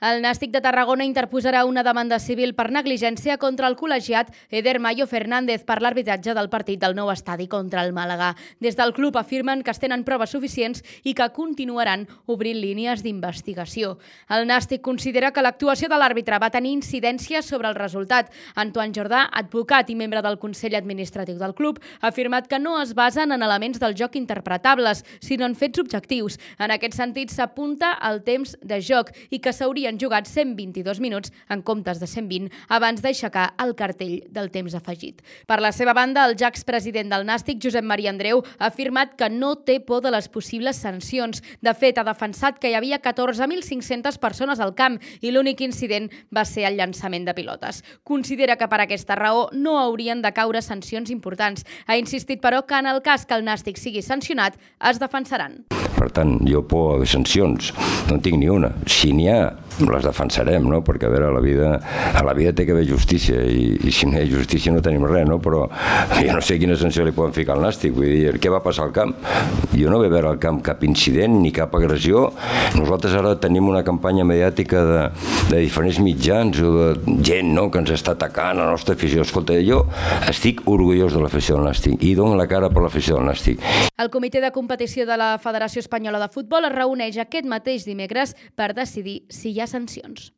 El Nàstic de Tarragona interposarà una demanda civil per negligència contra el col·legiat Eder Mayo Fernández per l'arbitratge del partit del nou estadi contra el Màlaga. Des del club afirmen que es tenen proves suficients i que continuaran obrint línies d'investigació. El Nàstic considera que l'actuació de l'àrbitre va tenir incidència sobre el resultat. Antoine Jordà, advocat i membre del Consell Administratiu del club, ha afirmat que no es basen en elements del joc interpretables, sinó en fets objectius. En aquest sentit, s'apunta al temps de joc i que s'haurien jugat 122 minuts en comptes de 120 abans d'aixecar el cartell del temps afegit. Per la seva banda, el ja expresident del Nàstic, Josep Maria Andreu, ha afirmat que no té por de les possibles sancions. De fet, ha defensat que hi havia 14.500 persones al camp i l'únic incident va ser el llançament de pilotes. Considera que per aquesta raó no haurien de caure sancions importants. Ha insistit, però, que en el cas que el Nàstic sigui sancionat, es defensaran. Per tant, jo por de sancions no en tinc ni una. Si n'hi ha, les defensarem, no? Perquè a veure, a la vida té que haver justícia i si no hi ha justícia no tenim res, no? Però jo no sé quina sanció li poden ficar al Nàstic. Vull dir, què va passar al camp? Jo no vaig veure al camp cap incident ni cap agressió. Nosaltres ara tenim una campanya mediàtica de diferents mitjans o de gent, no?, que ens està atacant a la nostra afició. Escolta, jo estic orgullós de l'afició del Nàstic i dono la cara per l'afició del Nàstic. El comitè de competició de la Federació Espanyola de Futbol es reuneix aquest mateix dimecres per decidir si hi ha sancions.